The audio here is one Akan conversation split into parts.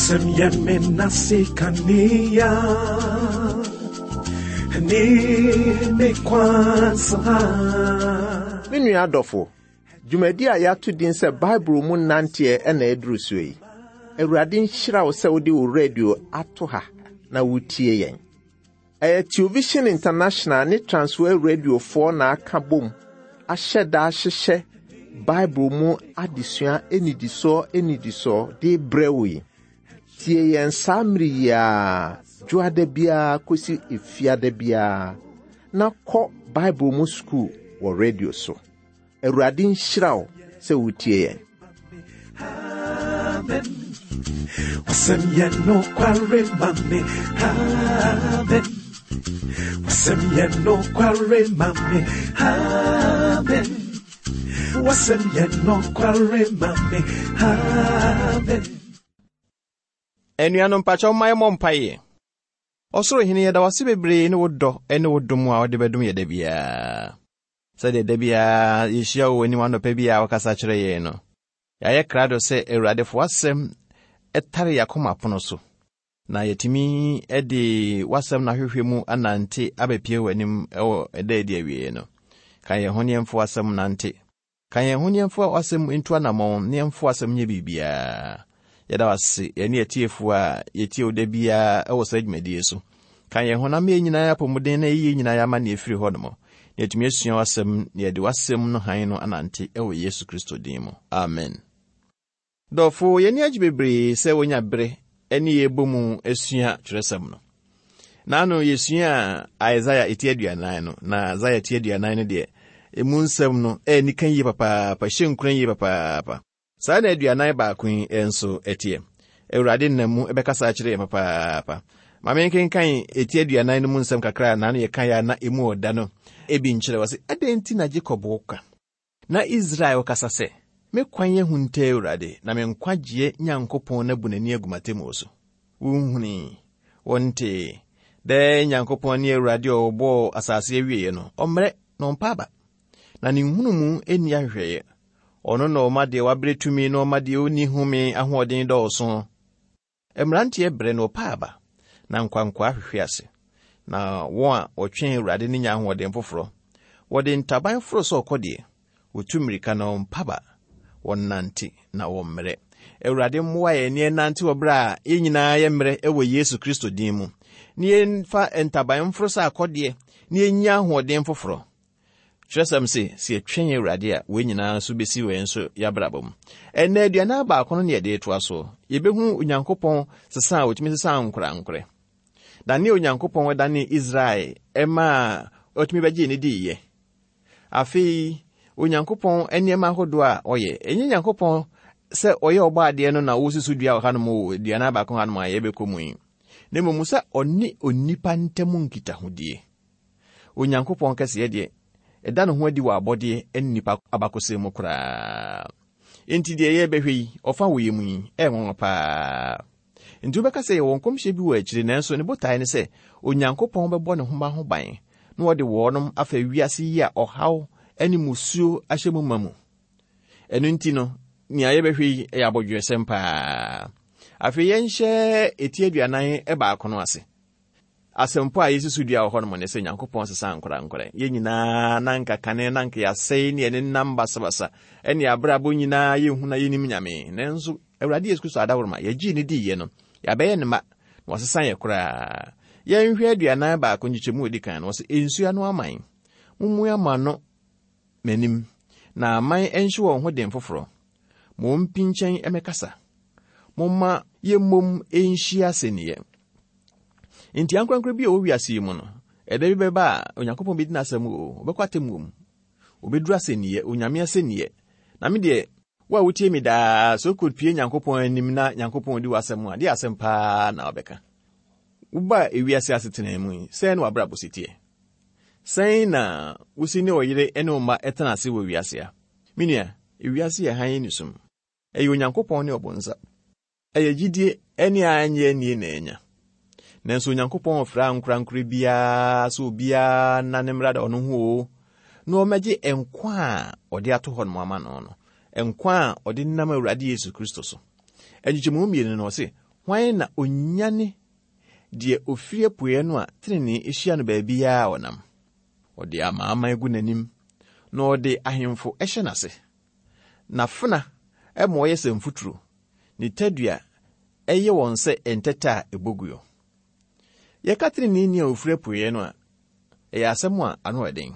Wasɛm yɛ me nase kanea ne me kwan so ha. Me nua adɔfo, dwumadi a yɛato din sɛ Bible mu nanteɛ na aduru soɔ yi. Awurade nhyira wo sɛ wode wo radio ato ha na wotie yɛn. Ɛyɛ Television International ne Transworld Radiofoɔ na aka bom ahyɛ da ahyehyɛ Bible mu adesua nnidisoɔ nnidisoɔ de rebrɛ wo yi. Tie yɛn saa mmere yi ara, dwoada biara kɔsi efiada biara, na kɔ Bible mu sukuu wɔ radio so. Awurade nhyira wo sɛ wotie yɛn. Amen. Wasɛm yɛ nokware ma me. Amen. Wasɛm yɛ nokware ma me. Amen. Wasɛm yɛ nokware ma me. Amen. Anuanom mpakyɛw mma yɛmmɔ mpaeɛ. Ɔsoro Hene, yɛda wo ase bebree ne wo dɔ ne wo dom a wode bɛdom yɛ da biara. Sɛdeɛ da biara yɛhyia wɔ w'anim anɔpa bi a wokasa kyerɛ yɛn no, yɛayɛ krado sɛ Awurade fa w'asɛm tare yɛn akoma pono so, na yɛatumi de w'asɛm no ahwehwɛ mu anante abɛpie w'anim wɔ ɛda adi awieɛ no. Ka yɛn ho ne yɛmfa w'asɛm nante. Ka yɛn ho na yɛmfa w'asɛm ntu anammɔn na yɛmfa w'asɛm nyɛ biribiara. Yɛda wo ase, yɛne atiefoɔ a yɛtie wo da biara wɔ saa dwumadie so. Ka yɛn ho na ma yɛn nyinaa apɔmuden na yɛyɛ nyinaa yɛama ne afiri hɔ nom, na yɛatumi asua w'asɛm na yɛde w'asɛm no hann no anante wɔ Yesu Kristo din mu. Amen. Dɔfo, yɛn ani agye bebree sɛ wonya bere ne yɛn bɔ mu sua kyerɛsɛm no. Naano yɛsuaa Isaiah eti aduanan no, na Isaiah ti aduanan no deɛ, emu nsɛm no ɛyɛ nika yie papaapa, hyɛ nkuran yie papaapa. Saa na aduanan baako yi nso ɛteɛ. Awurade nam mu ɛbɛkasa akyerɛ yɛn papaapa. Ma menkenkan eti aduanan no mu nsɛm kakra a naano yɛkaeɛ a na emu ɔda no ebi nkyerɛ. Ɔse, adɛn nti na Jacob woka? Na Israel kasa sɛ, Me kwan ahunta Awurade, na me nkwagyeɛ Nyankopɔn no abu n'ani agu m'atemmuo so. Wonhunui, wontee, dɛ Nyankopɔn ne Awurade a ɔbɔɔ asase awieeɛ no, ɔmmrɛ na ɔmpa aba, na ne nhunumu nni ahwehwɛeɛ. Ɔno na ɔma deɛ wabrɛ tumi na ɔma deɛ ɔnni home ahoɔden dɔɔso. Mmeranteɛ brɛ na wɔpa aba, na nkwankwaa hwehwe ase. Na wɔn a wɔtwɛn Awurade no nya ahoɔden foforɔ. Wɔde ntaban foro sɛ ɔkɔdeɛ, wɔtu mmirika na wɔmpa aba, wɔnante na wɔmmrɛ. Awurade mmoa yɛn na yɛnnante wɔ berɛ a yɛn nyinaa yɛ mmerɛ wɔ Yesu Kristo din mu, na yɛmfa ntaban mforo sɛ akɔdeɛ na yɛnnya ahoɔden foforɔ. Kyerɛsɛm se, sɛ yɛtwɛn Awurade a, wei nyinaa nso bɛsi wɔ yɛn nso yɛabrabɔ mu. Ɛnnɛ aduanan baako no ne yɛde retoa so. Yɛbɛhu Onyankopɔn sesa a ɔtumi sesa ankorankorɛ. Dane a Onyankopɔn dane Israel ɛmaa ɔtumi bɛgyee ne diiɛ. Afei, Onyankopɔn nneɛma ahodoɔ a ɔyɛ. Ɛnyɛ Nyankopɔn sɛ ɔyɛ ɔbɔ adeɛ no na ɔresi so dua wɔ hanom wɔ aduanan baako hanom a yɛbɛkɔ mu yi. Na mmom sɛ ɔne onipa ntam nkitahodie. Onyankopɔn kɛseyɛ deɛ, ɛda ne ho adi wɔ abɔdeɛ ne nnipa abakɔsɛm mu koraa. Enti deɛ yɛrebɛhwɛ yi, ɔfa wɔ yɛn mu yi, ɛyɛ nwanwa paa. Enti wobɛka sɛ yɛwɔ nkɔmhyɛ bi wɔ akyire, nanso ne botaeɛ ne sɛ Onyankopɔn bɛbɔ ne ho mma ho ban na ɔde wɔnom afa wiase yi a ɔhaw ne mmusuo ahyɛ mu ma mu. Ɛno nti no, nea yɛbɛhwɛ yi yɛ abodwoesɛm paa. Afei yɛnhyɛ eti aduanan baako no ase. Asɛmpɔ a yesi so dua wɔ hɔnom ne sɛ Nyankopɔn sesa ankorankorɛ. Yɛn nyinaa na anka kane na anka yɛasɛe ne yɛn nenam basabasa ne abrabɔ nyinaa yɛnhu na yɛnnim Nyame. Nanso Awurade Yesu Kristo adaworoma, yɛgyee no diiɛ no, yɛabɛyɛ ne mma, na wasesa yɛn koraa. Yɛnhwɛ 41 nkyekyɛmu a ɛdi kan no, ɔse, Nsuo ano aman, mommua mo ano m'anim, na aman nhye wɔn ho den foforɔ. Ma wɔmpinkyɛn mmɛkasa. Momma yɛmmom nhyia asɛnniiɛ. Enti ankorankoro bi a ɔwɔ wiase yi mu no, ɛda bi bɛba a Onyankopɔn bɛdi n'asɛm o, ɔbɛkɔ atemmuo mu. Ɔbɛduru asɛnniiɛ, Onyame asɛnniiɛ. Na me deɛ, wo a wotie me daa, sɛ wokɔpie Nyankopɔn anim na Nyankopɔn di w'asɛm a, deɛ asɛm paa na wobɛka. Wobaa ewiase asetena mu yi, sɛn na w'abrabɔ si teɛ? Sɛn na wosi ne ɔyere ne wo mma tena ase wɔ wiase a? Me nua, ewiase yɛ hann ne sum. Ɛyɛ Onyankopɔn ne ɔbonsam. Ɛyɛ gyidie ne a ɛnyɛ annie na anya. Nanso Onyankopɔn mfrɛ ankorankorɛ biara sɛ obiara nna ne mmra da ɔno ho oo, na ɔmmɛgye nkwa a ɔde ato hɔ nom ama no no, nkwa a ɔde nam Awurade Yesu Kristo so. Nkyekyɛmu mmienu no, ɔse, Hwan na onyane deɛ ofiri apueɛ no a tenenee hyia no baabiara a ɔnam? Ɔde amanaman gu n'anim, na ɔde ahemfo hyɛ n'ase. N'afena ma ɔyɛ sɛ mfuturo, ne tadua yɛ wɔn sɛ ntɛtɛ a ɛbɔ guo. Yɛka teneneeni a ofiri apueɛ no a, ɛyɛ asɛm a ano yɛ den.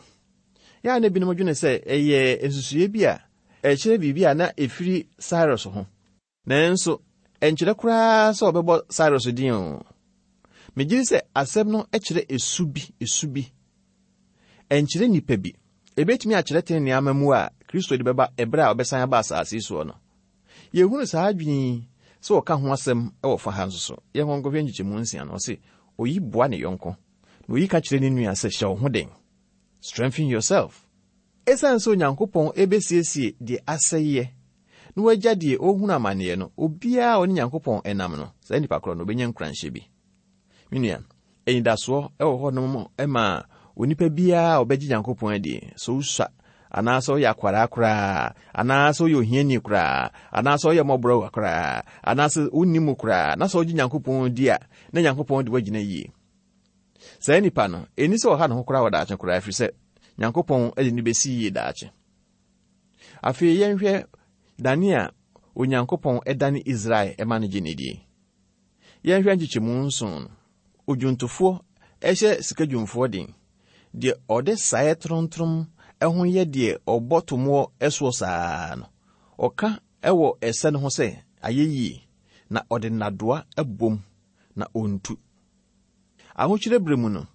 Yɛ a na ebinom dwene sɛ ɛyɛ nsusuiɛ bi a ɛkyerɛ biribi a na ɛfiri Cyrus ho. Nanso, ɛnkyerɛ koraa sɛ wɔbɛbɔ Cyrus din o. Megye di sɛ asɛm no kyerɛ esu bi, esu bi. Ɛnkyerɛ nnipa bi. Ebetumi akyerɛ trenee amammuo a Kristo de bɛba ɛberɛ a ɔbɛsan aba asase yi soɔ no. Yɛhunu saa adwene yi sɛ wɔka ho asɛm wɔ fa ha nso so. Yɛnkɔ nkɔhwɛ nkyekyɛmu nsia no. Ɔse, Oyi boa ne yɔnko, na oyi ka kyerɛ ne nua sɛ, Hyɛ wo ho den. Strengthen yourself. Esiane sɛ Onyankopɔn besiesie deɛ asɛeɛ na wagya deɛ ɔrehunu amaneɛ no, obiara a ɔne Nyankopɔn nam no, saa nipa korɔ no, ɔbɛnya nkuranhyɛ bi. Me nua, anidasoɔ wɔ hɔnom ma onipa biara a ɔbɛgye Nyankopɔn adie, sɛ wosua anaasɛ woyɛ akwaraa koraa, anaasɛ woyɛ ohiani koraa, anaasɛ woyɛ mmɔborɔwa koraa, anaasɛ wonni mu koraa, na sɛ wogye Nyankopɔn di a, na Nyankopɔn de woagyina yie. Saa nipa no, ɛnni sɛ ɔha ne ho koraa wɔ daakye koraa, ɛfiri sɛ Nyankopɔn de no bɛsi yie daakye. Afei yɛnhwɛ dane a Onyankopɔn dane Israel ma no gye ne die. Yɛnhwɛ nkyekyɛmu nson no. Odwontofoɔ hyɛ sikadwumfoɔ den, deɛ ɔde saeɛ toromtorom ho yɛ deɛ ɔbɔ tomoɔ soɔ saa no. Ɔka wɔ ɛsɛ no ho sɛ, Ayɛ yie, na ɔde nnadoa bom, na ɔntu. Ahokyerɛ berɛ mu no,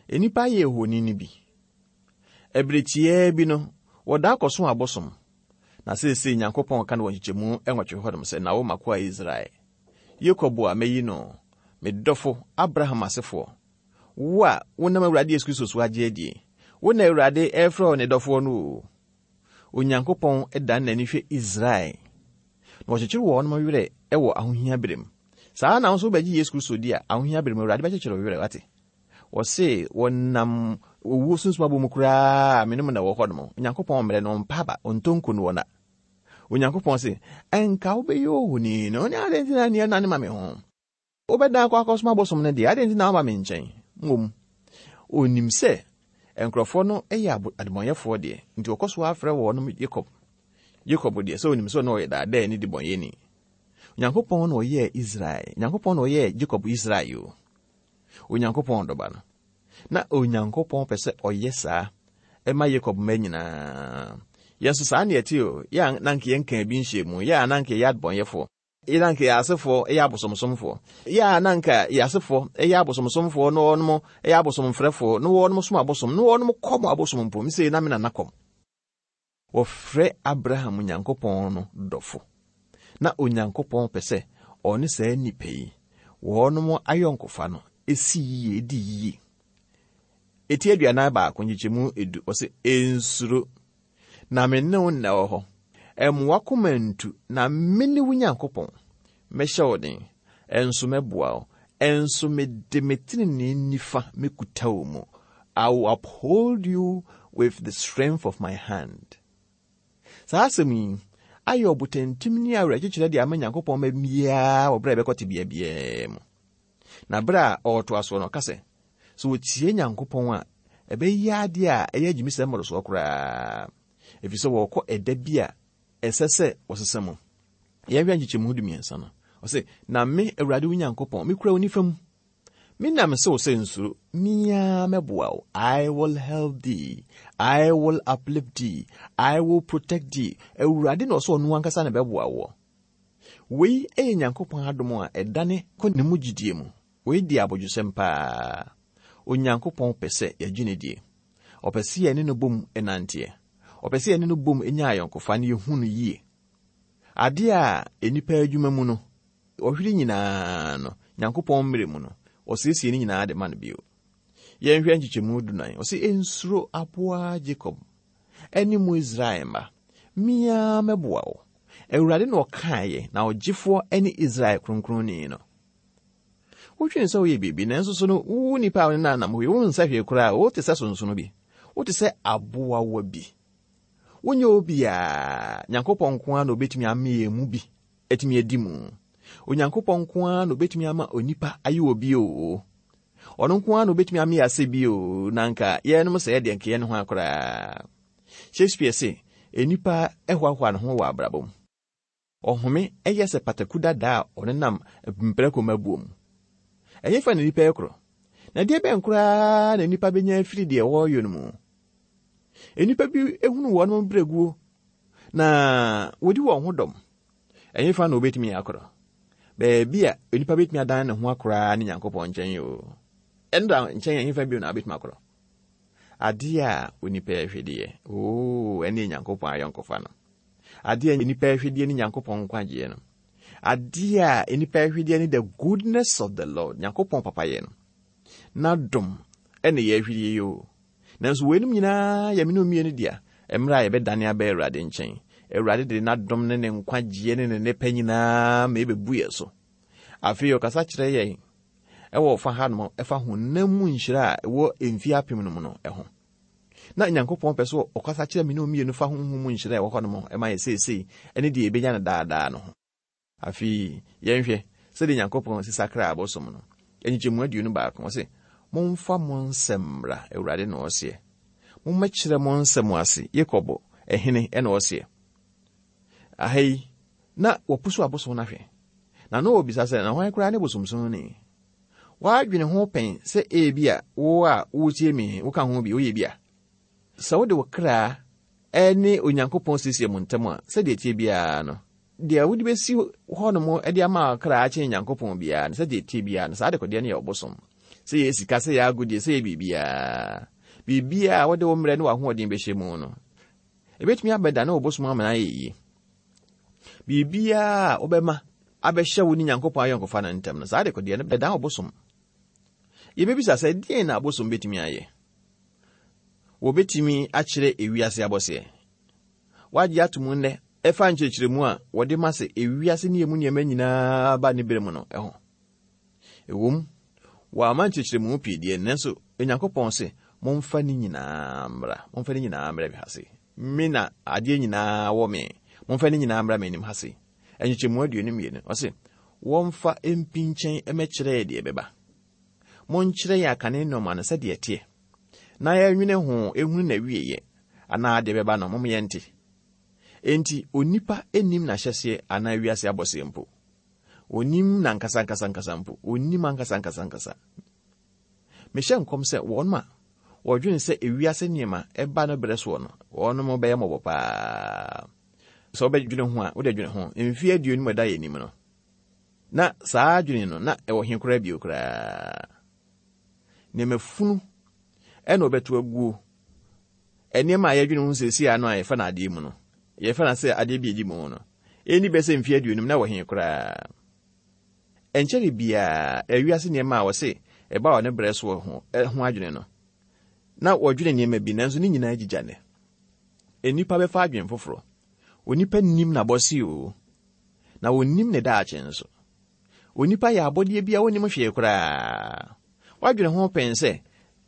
nnipa ayɛ ohoni no bi. Ɛberɛ tiaa bi no, wɔdaa kɔsom abosom. Na seesei Nyankopɔn ka no wɔ nkyekyɛmu nwɔtwe hɔnom sɛ, Na wo m'akoa Israel, Yakob a mayi no, me dɔfo Abraham asefoɔ, wo a wonam Awurade Yesu Kristo so agye adie, wo na Awurade refrɛ wo ne dɔfoɔ no o. Onyankopɔn dan n'ani hwɛ Israel, na ɔkyekyere wɔn werɛ wɔ ahohia berɛ mu. Saa ara na wo nso wobɛgye Yesu Kristo di a, ahohia bere mu Awurade bɛkyekyere wo werɛ, wate? Wɔse wɔnam owuo sunsum abɔ mu koraa a, me ne mo na ɛwɔ hɔ nom. Onyankopɔn mmerɛ no, ɔmpa aba, ɔntɔ nko no ɔna. Onyankopɔn se, ɛnka wobɛyɛ ohoni no, ne adɛn nti na nneɛ nane ma me ho? Wobɛdan akɔ akɔsom abosom no deɛ, adɛn nti na woaba me nkyɛn? Mmom, ɔnim sɛ nkurɔfoɔ no yɛ adebɔnyɛfoɔ deɛ, nti ɔkɔ so ara frɛ wɔnom Yakob. Yakob deɛ, sɛ ɔnim sɛ ɔno ɔyɛ daadaa ne debɔnyɛni. Onyankopɔn na ɔyɛɛ Israel. Onyankopɔn na ɔyɛɛ Jacob Israel o. Onyankopɔn dɔba no. Na Onyankopɔn pɛ sɛ ɔyɛ saa ɛma Jacob mma nyinaa. Yɛn nso saa na yɛte o. Yɛ a na anka yɛnkaa bi nhyɛɛ mu. Yɛ a na anka yɛyɛ adebɔnyɛfoɔ. Yɛ na anka yɛn asefoɔ yɛ abosomsomfoɔ. Yɛ a na anka yɛn asefoɔ yɛ abosomsomfoɔ na wɔnom yɛ abosomfrɛfoɔ na wɔnom som abosom na wɔnom kɔm abosom mpo. Mesei na me nana kɔm. Wɔfrɛ Abraham Onyankopɔn no dɔfo. Na Onyankopɔn pɛ sɛ ɔne saa nnipa yi, wɔnom ayɔnkofa no si yiye, edi yiye. Eti 41 nkyekyɛmu edu, ɔse, Nsuro, na me ne wo na ɛwɔ hɔ. Mmoa koma ntu, na mene wo Nyankopɔn. Mɛhyɛ wo den, nso mɛboa wo, nso mede me tenenee nifa mɛkuta wo mu. I will uphold you with the strength of my hand. Saa asɛm yi ayɛ ɔbotantim ne awerɛkyekyerɛ de ama Nyankopɔn mma biara wɔ berɛ a ɛbɛkɔ tebea biara mu. Na berɛ a ɔretoa soɔ no, ɔka sɛ, sɛ wɔtie Nyankopɔn a, ɛbɛyɛ adeɛ a ɛyɛ agyimisɛm mmorosoɔ koraa, ɛfiri sɛ wɔrekɔ ɛda bi a ɛsɛ sɛ wɔsesa mu. Yɛnhwɛ nkyekyɛmu 13 no. Ɔse, Na me, Awurade wo Nyankopɔn, mekura wo nifa mu. Me na mese wo sɛ nsuro, me ara mɛboa wo. I will help thee, I will uplift thee, I will protect thee. Awurade na ɔsɛ ɔno ankasa na ɛbɛboa woɔ. Wei yɛ Nyankopɔn adom a ɛdane kɔ ne mu gyidie mu. Wei di abodwosɛm paa. Onyankopɔn pɛ sɛ yɛgye no die. Ɔpɛ sɛ yɛne no bom nanteɛ. Ɔpɛ sɛ yɛne no bom nya ayɔnkofa na yɛhu no yie. Adeɛ a nnipa adwuma mu no, ɔhwere nyinaa no, Nyankopɔn mmerɛ mu no, ɔsiesie ne nyinaa de ma no bio. Yɛnhwɛ nkyekyɛmu dunan. Ɔse, Nsuro aboa Jacob, ɛne mo Israel mma. Me ara mɛboa wo. Awurade na ɔkaeɛ, na ɔgyefoɔ ne Israel Kronkronni no. Wodwene sɛ woyɛ biribi, nanso so no, wo nipa a wo ne no anam hɔ yi, wonsɛ hwee koraa, wote sɛ sonsono bi. Wote sɛ aboawa bi. Wonyɛ obiara. Nyankopɔn nko ara na obetumi ama yɛn mu bi atumi adi mu. Onyankopɔn nko ara na obetumi ama onipa ayɛ obi o. Ɔno nko ara na obetumi ama yɛasɛ bi o, na anka yɛnom sɛ yɛdeɛ nka yɛn ho akoraa. Shakespeare se, nnipa hoahoa ne ho wɔ abrabɔ mu. Ɔhome yɛ sɛ pataku dada a ɔnenam mprako mmabuo mu. Ɛhefa na nnipa rekorɔ? Na deɛ bɛn koraa na nnipa bɛnya afiri deɛ wɔreyɔ no mu? Nnipa bi hunu wɔn berɛguo na wɔdi wɔn ho dɔm. Ɛhefa na wɔbɛtumi akorɔ? Baabi a onipa bɛtumi adan ne ho akoraa ne Nyankopɔn nkyɛn o. Ɛno da nkyɛn ɛhefa bio na wobɛtumi akorɔ? Adeɛ a onipa ɛhwɛ deɛ, oo, ɛne Nyankopɔn ayɔnkofa no. Adeɛ a nnipa ɛhwedeɛ ne Nyankopɔn nkwagyeɛ no. Adeɛ a nnipa ɛhwedeɛ ne the goodness of the Lord, Nyankopɔn papayɛ no. N'adom ɛne yɛ ɛhwedeɛ yi o. Nanso weinom nyinaa yɛ mene mmienu dea, mmerɛ a yɛbɛdane aba Awurade nkyɛn. Awurade de n'adom ne ne nkwagyeɛ ne ne nnepa nyinaa ma ɛbɛbu yɛ so. Afei ɔkasa kyerɛ yɛn ɛwɔ ɔfa hanom ɛfa honam mu nhyira a ɛwɔ mfie apem no mu no ɛho. Na Nyankopɔn pɛ sɛ ɔkasa kyerɛ me ne wo mmienu fa honhom mu nhyira a ɛwɔ hɔnom ma yɛ seesei ne deɛ yɛbɛnya no daa daa no ho. Afei yɛnhwɛ sɛdeɛ Nyankopɔn si sakraa abosom no. Nkyekyɛmu 21, ɔse, Momfa mo nsɛm mmra, Awurade na ɔseɛ. Mommɛkyerɛ mo nsɛm ase, Yakob hene na ɔseɛ. Aha yi, na wɔpusu abosom no ahwɛ. Na na wɔbisa sɛ, na hwan koraa ne bosomsomni? Woadwene ho pɛn sɛ ebia wo a woretie me yi, woka ho bi, woyɛ bi a? Sɛ wode wo kra ne Onyankopɔn siesie mo ntam a, sɛdeɛ ɛteɛ biara no, deɛ wode bɛsi hɔnom de ama wo kra akyɛn Nyankopɔn biara no, sɛdeɛ ɛteɛ biara no, saa dekodeɛ no yɛ ɔbosom. Sɛ yɛ sika, sɛ yɛ agodie, sɛ yɛ biribiara. Biribiara a wode wo mmerɛ ne w'ahoɔden bɛhyɛ mu no, ɛbɛtumi abɛdane ɔbosom ama no ayɛ yie. Biribiara a wobɛma abɛhyɛ wo ne Nyankopɔn ayɔnkofa no ntam no, saa dekodeɛ no bɛdan ɔbosom. Yɛbɛbisa sɛ, deɛn na abosom bɛtumi ayɛ? Wɔbɛtumi akyerɛ ewiase abɔseɛ? Wɔagye ato mu nnɛ ɛfa nkyerɛkyerɛmu a wɔde ma sɛ ewiase ne emu nneɛma nyinaa ba ne berɛ mu no ho. Ɛwom, wɔamma nkyerɛkyerɛmu pii deɛ, nanso Onyankopɔn se, Momfa ne nyinaa mmra, momfa ne nyinaa mmra me ha sei. Me na adeɛ nyinaa wɔ me. Momfa ne nyinaa mmra m'anim ha sei. Nkyekyɛmu 22, ɔse, Wɔmfa mpinkyɛn mmɛkyerɛ deɛ ɛbɛba. Monkyerɛ yɛn akane nnoɔma no sɛdeɛ ɛteɛ, na yɛnwene ho nhunu n'awieeɛ, anaa deɛ ɛbɛba no, mom yɛnte. Enti onipa nnim n'ahyɛseɛ anaa wiase abɔseɛ mpo. Onnim n'ankasa ankasa ankasa mpo. Onnim ankasa ankasa ankasa. Mehyɛ nkɔm sɛ wɔn a wɔdwene sɛ ewiase nneɛma ɛba no berɛ soɔ no, wɔn bɛyɛ mmɔbɔ paa. Sɛ wobɛdwene ho a, wode dwene ho. Mfeɛ 20 ɛda yɛn anim no, na saa adwene no, na ɛwɔ he koraa bio koraa? Nneɛma funu ɛna wɔbɛto aguo. Nneɛma a yɛdwene ho seesei ano a yɛfa no adeɛ mu no, yɛfa no sɛ adeɛ bi a ɛdi mu no, ɛnni bɛyɛ sɛ mfeɛ 50 na ɛwɔ he koraa? Ɛnkyɛre biara, wiase nneɛma a wɔse ɛba wɔ ne berɛ soɔ ho, ho adwene no, na wɔdwene nneɛma bi, nanso ne nyinaa gyigya nnɛ. Nnipa bɛfa adwene foforɔ. Onipa nnim n'abɔse o, na ɔnnim ne daakye nso. Onipa yɛ abɔdeɛ bi a ɔnnim hwee koraa. Woadwene ho pɛn sɛ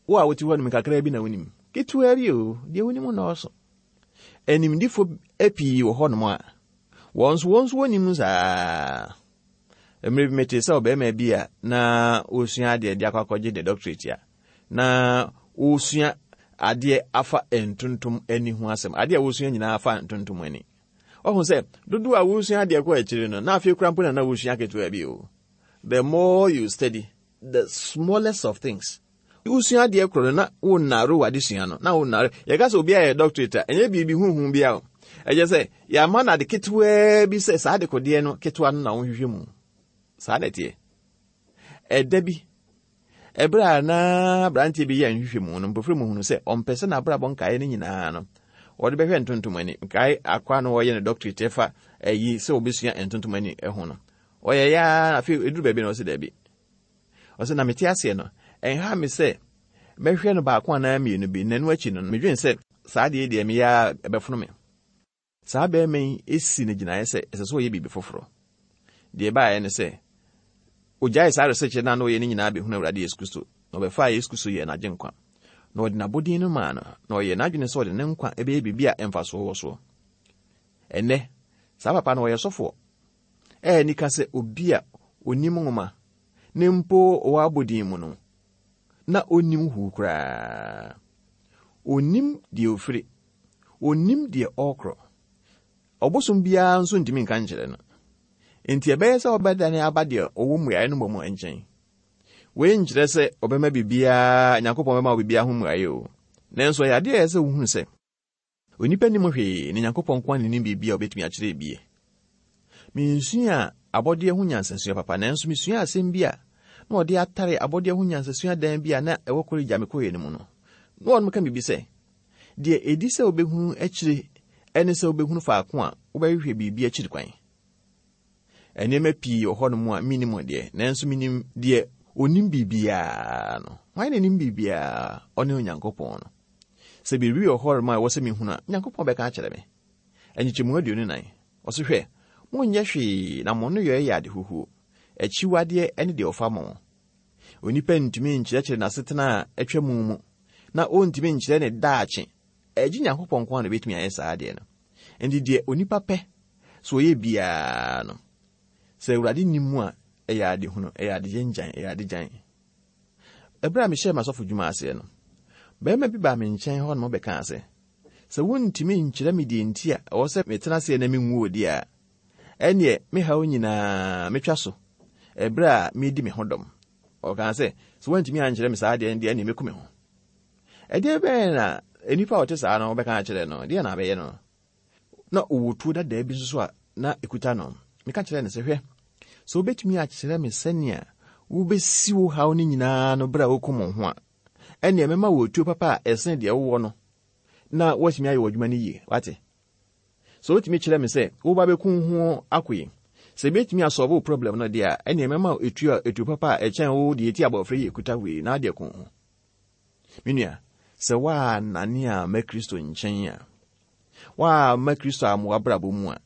wo a wote hɔ nom kakraa bi na wonim? Ketewaa bi o, deɛ wonim nnɔɔso. Animdefo pii wɔ hɔnom a, wɔn nso wɔn nso wɔnim saa. Mmerɛ bi metee sɛ ɔbarima bi a na ɔresua adeɛ de akɔ akɔgye ne doctorate a, na ɔresua adeɛ afa ntontom ani ho asɛm. Adeɛ a wɔresua nyinaa afa ntontom ani. Ɔhu sɛ dodoɔ a wɔresua adeɛ kɔ akyiri no, na afei koraa mpo na na wɔresua ketewa bi o. The more you study, the smallest of things. Wosua adeɛ korɔ no na wonnare w'adesua no, na wonnare. Yɛka sɛ obi ayɛ doctorate a, ɛnyɛ biribi huhu bi a o. Ɛkyerɛ sɛ yɛama no ade ketewaa bi sɛ saa adekodeɛ no ketewa no na wonhwehwɛ mu. Saa na ɛteɛ. Ɛda bi, ɛberɛ a na aberanteɛ bi yɛ nhwehwɛmu no, mpofiri mu hunu sɛ ɔmpɛ sɛ n'abrabɔ nkaeɛ no nyinaa no, wɔde bɛhwɛ ntontom ani. Nkae akoa no wɔyɛ no doctorate ɛfa ayi sɛ wɔbɛsua ntontom ani ho no. Ɔyɛ ya afei ɛduru baabi na ɔsɛ daabi. Ɔsɛ na mete aseɛ no, ɛnha me sɛ mɛhwɛ no baako anaa mmienu bi, na ɛno akyi no, medwene sɛ saa adeɛ yi deɛ meyɛ ara ɛbɛfono me. Saa barima yi si no gyinaeɛ sɛ ɛsɛ sɛ ɔyɛ biribi foforɔ. Deɛ ɛbaeɛ ne sɛ, ɔgyaee saa research no a na ɔyɛ no nyinaa bɛhunu Awurade Yesu Kristo, na ɔbɛfaa Yesu Kristo yɛɛ n'agyenkwa. Na ɔde n'abɔdin no maa no, na ɔyɛɛ n'adwene sɛ ɔde ne nkwa bɛyɛ biribi a mfasoɔ wɔ soɔ. Ɛnnɛ, saa papa no ɔyɛ sɔfoɔ. Ɛyɛ anika sɛ obi a onim nwoma na mpo ɔwɔ abodin mu no, na onnim huu koraa. Onnim deɛ ofiri, onnim deɛ ɔrekorɔ. Ɔbosom biara nso ntumi nka nkyerɛ no. Enti ɛbɛyɛ sɛ ɔbɛdane aba deɛ ɔwɔ mmuaeɛ no mmom nkyɛn. Wei nkyerɛ sɛ ɔbɛma biribiara, Nyankopɔn bɛma wo biribiara ho mmuaeɛ o. Nanso ɛyɛ adeɛ a ɛyɛ sɛ wohunu sɛ onipa nnim hwee na Nyankopɔn nko ara na nim biribi a ɔbɛtumi akyerɛ bie. Mensuaa abɔdeɛ ho nyansasua papa, nanso mesuaa asɛm bi a na wɔde atare abɔdeɛ ho nyansasua dan bi a na ɛwɔ kɔlege a mekɔeɛ no mu no. Na wɔnom ka biribi sɛ, Deɛ ɛdi sɛ wobɛhunu akyire ne sɛ wobɛhunu faako a wobɛhwehwɛ biribi akyiri kwan. Nneɛma pii wɔ hɔnom a minnim deɛ, nanso minim deɛ onim biribiara no. Hwan na nim biribiara? Ɔne Onyankopɔn no. Sɛ biribi wɔ hɔnom a ɛwɔ sɛ mihunu a, Onyankopɔn bɛka akyerɛ me. Nkyekyɛmu 24, ɔse, Hwɛ, monyɛ hwee na mo nneyɔɛ yɛ ade huhuo, akyiwadeɛ ne deɛ ɔfa mo. Onipa ntumi nkyerɛkyerɛ n'asetena a atwa mu mu, na ɔntumi nkyerɛ ne daakye. Ɛgye Nyankopɔn nko ara na obetumi ayɛ saa adeɛ no. Enti deɛ onipa pɛ sɛ ɔyɛ biara no, sɛ Awurade nni mu a, ɛyɛ adehunu, ɛyɛ adegyengyan, ɛyɛ adegyan. Ɛberɛ a mehyɛɛ m'asɔfo dwuma aseɛ no, barima bi baa me nkyɛn hɔ nom bɛkaa sɛ, sɛ wontumi nkyerɛ me deɛ nti a ɛwɔ sɛ metena aseɛ na menwu deɛ a, ɛnneɛ me haw nyinaa metwa so ɛberɛ a meredi me ho dɔm. Ɔkaa sɛ, sɛ woantumi ankyerɛ me saa deɛ deɛ ɛnneɛ mɛku me ho. Ɛdeɛ bɛn na nnipa a wɔte saa no bɛka akyerɛ no? Deɛ na abɛyɛ no? Na ɔwɔ tuo dadaa bi nso so a na ɛkuta no. Meka kyerɛɛ no sɛ, Hwɛ, sɛ wobɛtumi akyerɛ me sɛnea wobɛsi wo haw no nyinaa no berɛ a wokum wo ho a, ɛnneɛ mɛma wo tuo papa a ɛsene deɛ wowɔ no na woatumi ayɛ w'adwuma no yie. Wate? Sɛ wotumi kyerɛ me sɛ woba bɛku wo ho ako yi, sɛ ɛbɛtumi asɔlve wo problem no deɛ a, ɛnneɛ mɛma wo etuo a etuo papa a ɛkyɛn wo deɛ ɛti abɔfra yi ɛkuta wei na adeɛ ko ho. Me nua, sɛ woannane amma Kristo nkyɛn a, woamma Kristo amma w'abrabɔ mu a,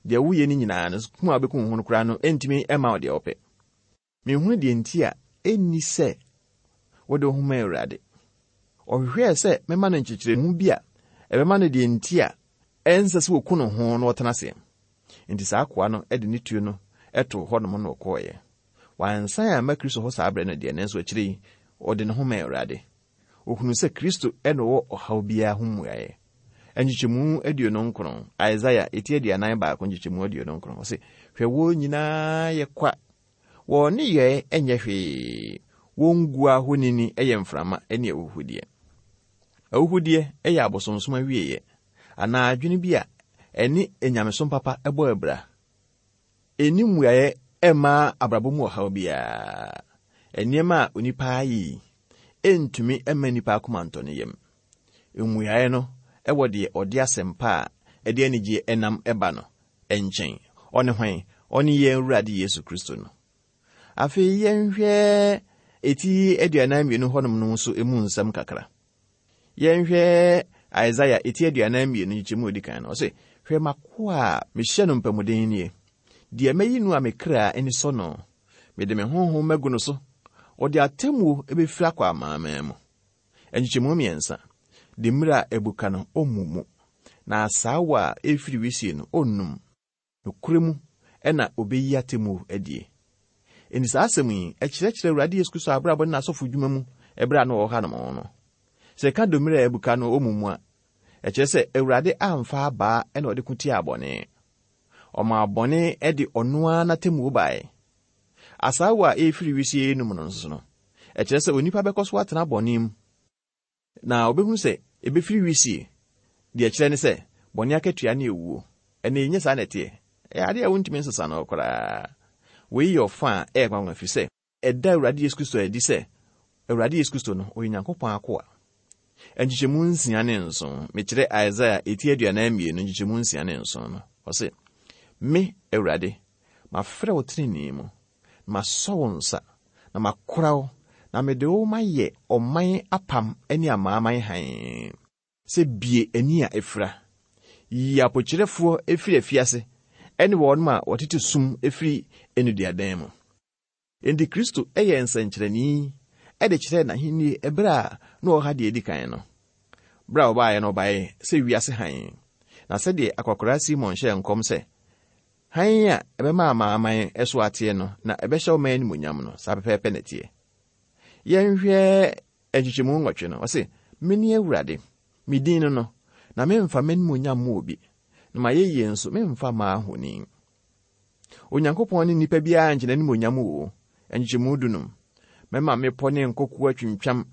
deɛ woyɛ no nyinaa no, kum a wobɛkum wo ho no koraa no, ɛntumi mma wo deɛ wopɛ. Menhunu deɛ nti a ɛnni sɛ wode wo ho ma Awurade. Ɔhwehwɛɛ sɛ mɛma no nkyekyeremu bi a ɛbɛma no deɛ nti a ɛnsɛ sɛ wɔku ne ho na ɔtena aseɛ. Enti saa akoa no de ne tuo no too hɔnom na ɔkɔeɛ. Wansan amma Kristo hɔ saa berɛ no deɛ, nanso akyire yi, ɔde ne ho maa Awurade. Ɔhunuu sɛ Kristo na ɔwɔ ɔhaw biara ho mmuaeɛ. Nkyekyɛmu 29, Isaiah eti 41 nkyekyɛmu 29, ɔse, Hwɛ wɔn nyinaa yɛ kwa, wɔn nneyɔɛ nyɛ hwee, wɔn guo ahonini yɛ mframa ne ahuhudeɛ. Ahuhudeɛ yɛ abosonsom awieeɛ, anaa adwene bi a ɛne anyamesom papa bɔ abira. Ɛnni mmuaeɛ mma abrabɔ mu ɔhaw biara. Nneɛma a onipa ayɛ yi ntumi mma nnipa akoma ntɔ ne yam. Mmuaeɛ no wɔ deɛ ɔde asɛmpa a ɛde anigyeɛ nam ba no nkyɛn. Ɔne hwan? Ɔne yɛn Awurade Yesu Kristo no. Afei yɛnhwɛ eti 42 hɔnom no nso emu nsɛm kakra. Yɛnhwɛ Isaiah eti 42 nkyekyɛmu a odi kan no. Ɔse, Hwɛ m'akoa a mehyɛ no mpamuden nie, deɛ mayi no a me kra ani sɔ no. Mede me honhom magu no so, ɔde atemmuo bɛfiri akɔ amanaman mu. Nkyekyɛmu mmiɛnsa, Demmire a abuka no, ɔmmu mu, na asaawa a ɛrefiri wisie no, ɔnnum. Nokorɛ mu na ɔbɛyi atemmuo adie. Enti saa asɛm yi, ɛkyerɛkyerɛ Awurade Yesu Kristo abrabɔ ne n'asɔfodwuma mu ɛberɛ a na ɔwɔ hanom no. Sɛ yɛka domire a abuka no wɔ mu mu a, ɛkyerɛ sɛ Awurade amfa abaa na ɔde ko tiaa bɔne. Ɔmaa bɔne de ɔno ara n'atemmuo baeɛ. Asaawa a ɛrefiri wisie no mu no nso no, ɛkyerɛ sɛ onipa bɛkɔ so atena bɔne mu. Na obehunu sɛ ebefiri wisie. Deɛ ɛkyerɛ ne sɛ, bɔne akatua ne owuo. Ɛnna ɛnyɛ saa na ɛteɛ. Ɛyɛ adeɛ a wontumi nsesa no koraa. Wei yɛ ɔfã a ɛyɛ nwanwa ɛfiri sɛ, ɛda Awurade Yesu Kristo adi sɛ Awurade Yesu Kristo no, ɔyɛ Onyankopɔn akoa. Nkyekyɛmu nsia ne nson, mekyerɛ Isaiah eti 42 nkyekyɛmu nsia ne nson no, ɔse, Me, Awurade, mafrɛ wo tenenee mu, na masɔ wo nsa, na makora wo, na mede wo mayɛ ɔman apam ne amanaman hann, sɛ bue ani a afira, yi apokyerɛfoɔ firi afiase ne wɔn a wɔtete sum firi nneduadan mu. Enti Kristo yɛɛ nsɛnkyerɛnne de kyerɛɛ n'ahenni bere a na ɔwɔ ha deɛ edi kan no. Bere a ɔbaeɛ no, ɔbaeɛ sɛ wiase hann. Na sɛdeɛ akwakoraa Simon hyɛɛ nkɔm sɛ, Hann a ɛbɛma amanaman so ateɛ no, na ɛbɛhyɛ wo man animuonyam no, saa pɛpɛɛpɛ na ɛteɛ. Yɛnhwɛ nkyekyɛmu nwɔtwe no. Ɔse, Mene Awurade, me din no no, na memfa m'animuonyam mma obi, na m'ayɛyie nso, memfa mma ahoni. Onyankopɔn ne nnipa biara nkyɛ n'animuonyam o. Nkyekyɛmu dunum. Mɛma mmepɔ ne nkokoɔ atwintwam,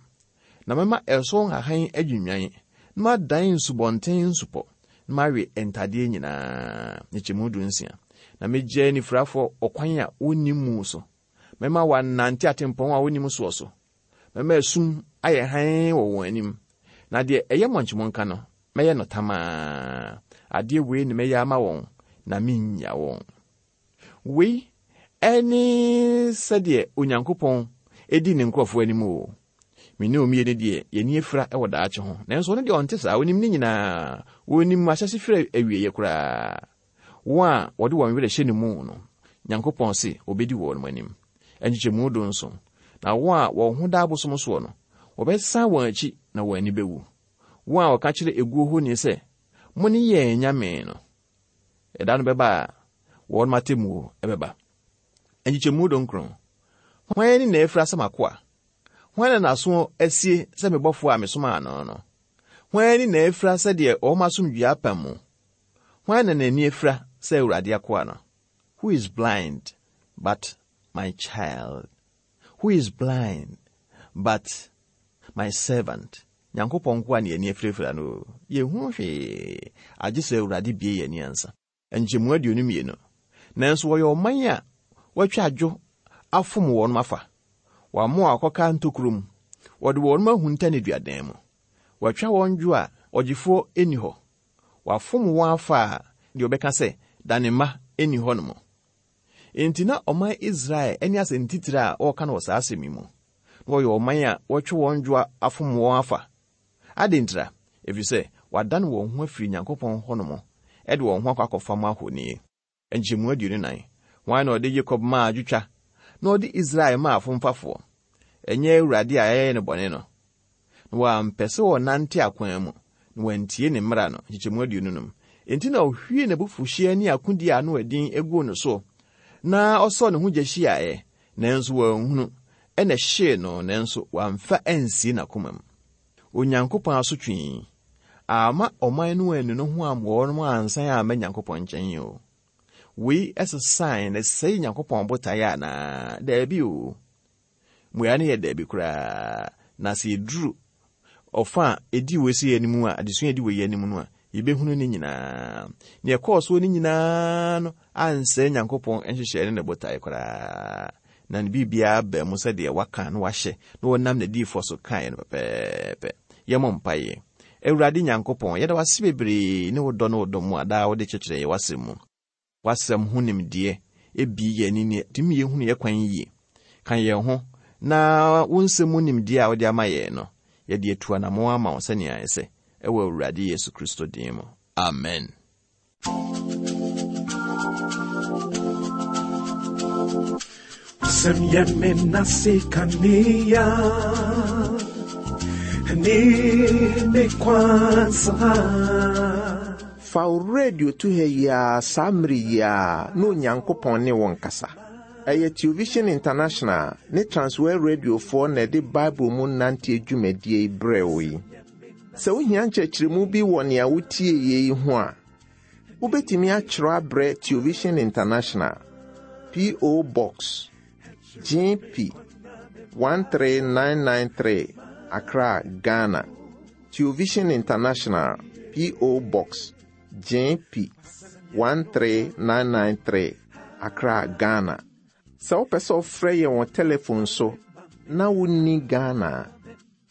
na mɛma ɛso nhahan adwinnwan, na madan nsubɔnten nsupɔ, na mawe ntadeɛ nyinaa. Nkyekyɛmu dunsia. Na megyaa anifirafoɔ ɔkwan a wɔnnim mu so. Mɛma wɔanante atempɔn a wɔnnim soɔ so. Mɛma esum ayɛ hann wɔ wɔn anim, na deɛ ɛyɛ mɔnkyemɔnka no, mɛyɛ no tamaa. Adeɛ wei na mɛyɛ ama wɔn, na mennya wɔn. Wei ne sɛdeɛ Onyankopɔn di ne nkurɔfoɔ anim o. Me ne mmienu deɛ, yɛn ani afira wɔ daakye ho. Nanso ɔno deɛ ɔnte saa, ɔnim ne nyinaa. Ɔnim ahyɛse firi awieeɛ koraa. Wɔn a wɔde wɔn werɛ hyɛ ne mu no, Nyankopɔn se ɔbɛdi wɔn anim. Nkyekyɛmu dunson. Na wɔn a wɔn ho da abosom soɔ no, wɔbɛsan wɔn akyi na wɔn ani bɛwu. Wɔn a wɔka kyerɛ eguo honi sɛ, Mone yɛn anyame no, ɛda no bɛba a wɔn atemmuo bɛba. Nkyekyɛmu dunkron. Hwan ani na afira sɛ m'akoa? Hwan na n'aso asie sɛ me bɔfoɔ a mesomaa no no? Hwan ani na afira sɛ deɛ ɔwɔ m'asomdwoeɛ apam mu? Hwan na n'ani afira sɛ Awurade akoa no? Who is blind but my child? Who is blind but my servant? Nyankopɔn nkoa na yɛn ani afirafira no o. Yɛnhunu hwee, agye sɛ Awurade bue yɛn ani ansa. Nkyɛmu 22. Nanso wɔyɛ ɔman a wɔatwa adwo afom wɔn afa. Wɔama wɔn akɔka ntokuro mu. Wɔde wɔn ahunta nneduadan mu. Wɔatwa wɔn dwo a ɔgyefoɔ nni hɔ. Wɔafom wɔn afa a deɛ ɔbɛka sɛ, Dane mma nni hɔnom. Enti na ɔman Israel ne asɛntitire a wɔreka no wɔ saa asɛm yi mu. Na wɔyɛ ɔman a wɔatwa wɔn dwo afom wɔn afa. Adɛn ntira? Ɛfiri sɛ wɔadane wɔn ho afiri Nyankopɔn hɔnom de wɔn ho akɔ akɔfam ahoni. Nkyɛmu 24. Hwan na ɔde Yakob maa adwotwa, na ɔde Israel maa afomfafoɔ? Ɛnyɛ Awurade a yɛayɛ no bɔne no? Na wɔampɛ sɛ wɔnante akwan mu, na wɔantie ne mmara no. Nkyekyɛmu 25. Enti na ɔhwiee n'abufuhyeɛ ne akodie a ano ɛden guu no so, na ɔsɔɔ ne ho gya hyiaeɛ, nanso wanhunu, ɛna ɛhyee no, nanso wamfa ansie n'akomam. Onyankopɔn asotwe yi amma ɔman no annu no ho amma wɔn ansan amma Nyankopɔn nkyɛn o. Wei sesae na ɛsɛe Nyankopɔn botaeɛ anaa? Daabi o. Mmuae no yɛ daabi koraa. Na sɛ yɛduru ɔfa a ɛdi wei sei anim a, adesua a ɛdi wei anim no a, yɛbɛhunu ne nyinaa. Nea ɛkɔɔ soɔ no nyinaa no ansɛe Nyankopɔn nhyehyɛe ne ne botae koraa. Na ne biribiara baa mu sɛdeɛ waka na wahyɛ na wɔnam n'adiyifoɔ so kaeɛ no pɛpɛɛpɛ. Yɛmmɔ mpaeɛ. Awurade Nyankopɔn, yɛda wo ase bebree ne wo dɔ ne wo dɔ mu a daa wode kyerɛkyerɛ yɛn w'asɛm mu. W'asɛm ho nimdeɛ bue yɛn ani na ɛtumi yɛhunu yɛn kwan yie. Ka yɛn ho na wo nsɛm mu nimdeɛ a wode ama yɛn no, yɛde atu anammɔn ama wo sɛnea ɛsɛ, ɛwɔ Awurade Yesu Kristo din mu. Amen. W'asɛm yɛ me nase kanea ne me kwan saa. Fa wo radio to ha yi ara saa mmere yi ara na Onyankopɔn ne wo nkasa. Ɛyɛ Television International ne Transworld Radiofoɔ na ɛde Bible mu nanteɛ dwumadie yi brɛɛ wo yi. Sɛ wohia nkyerɛkyerɛmu bi wɔ nea wotieeɛ yi ho a, wobɛtumi atwerɛ abrɛ Television International, P.O. Box, GP 13993, Accra, Ghana. Television International, P.O. Box, GP 13993, Accra, Ghana. Sɛ wopɛ sɛ wofrɛ yɛn wɔ telefon so na wonni Ghana a,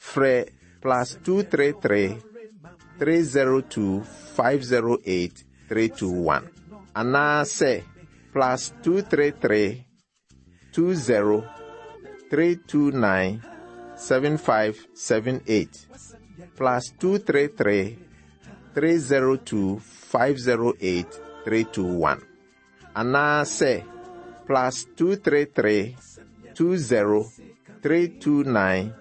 frɛ plus 233 302 508 321 anaasɛ plus 233 20 329 7578 plus 233 302 508 321 anaasɛ plus 233 20 329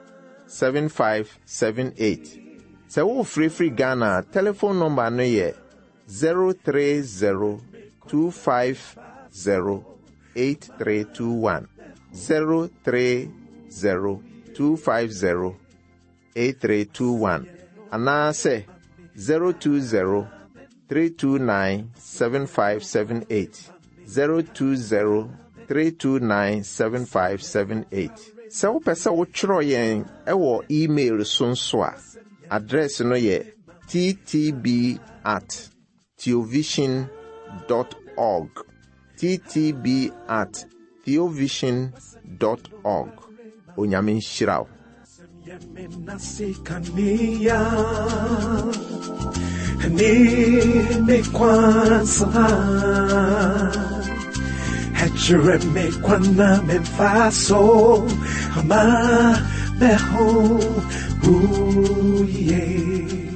7578. Sɛ worefrɛfiri Ghana a, telefon nɔmba no yɛ 030. 250 8321. 030 250 8321 anaasɛ 020 329 7578. 020 329 7578. Sɛ wopɛ sɛ wotwerɛ yɛn wɔ email so nso a, address no yɛ ttb at theovision dot org. Ttb at theovision dot org. Onyame nhyira wo. Ama meho uye.